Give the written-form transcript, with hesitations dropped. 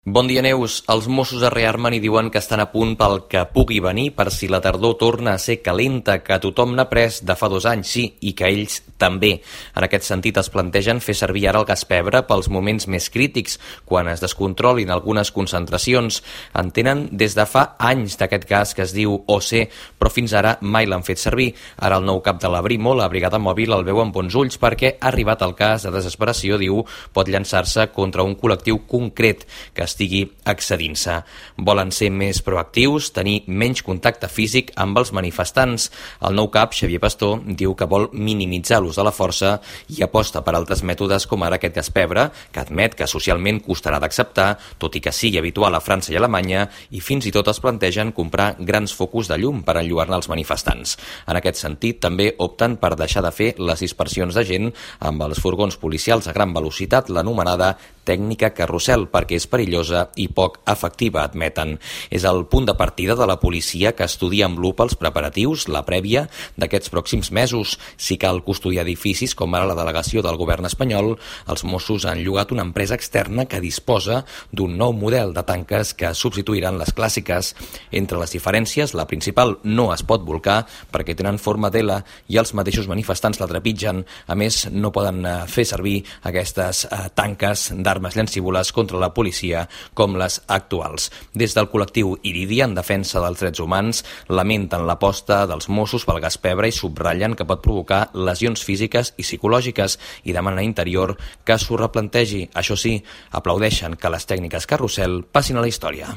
Bon dia, Neus. Els Mossos es rearmen i diuen que estan a punt pel que pugui venir per si la tardor torna a ser calenta, que tothom n'ha pres de fa 2 anys, sí, i que ells també. En aquest sentit, es plantegen fer servir ara el gas pebre pels moments més crítics, quan es descontrolin algunes concentracions. En tenen des de fa anys d'aquest gas que es diu OC, però fins ara mai l'han fet servir. Ara el nou cap de la Brimo, la brigada mòbil, el veu amb bons ulls perquè ha arribat el cas de desesperació, diu, pot llançar-se contra un col·lectiu concret que estigui excedint-se. Volen ser més proactius, tenir menys contacte físic amb els manifestants. El nou cap, Xavier Pastor, diu que vol minimitzar l'ús de la força i aposta per altres mètodes com ara aquest gas pebre, que admet que socialment costarà d'acceptar, tot i que sigui habitual a França i Alemanya, i fins i tot es plantegen comprar grans focus de llum per enlluernar els manifestants. En aquest sentit, també opten per deixar de fer les dispersions de gent amb els furgons policials a gran velocitat, l'anomenada tècnica carrusel, perquè és perillosa i poc efectiva, admeten. És el punt de partida de la policia que estudia amb lupa els preparatius, la prèvia d'aquests pròxims mesos. Si cal custodiar edificis com ara la delegació del govern espanyol, els Mossos han llogat una empresa externa que disposa d'un nou model de tanques que substituiran les clàssiques. Entre les diferències, la principal no es pot volcar perquè tenen forma d'L i els mateixos manifestants la trepitgen. A més, no poden fer servir aquestes tanques d'armes llancívoles contra la policia com les actuals. Des del col·lectiu Iridia, en defensa dels drets humans, lamenten l'aposta dels Mossos pel gas pebre i subratllen que pot provocar lesions físiques i psicològiques i demanen a Interior que s'ho replantegi. Això sí, aplaudeixen que les tècniques carrusel passin a la història.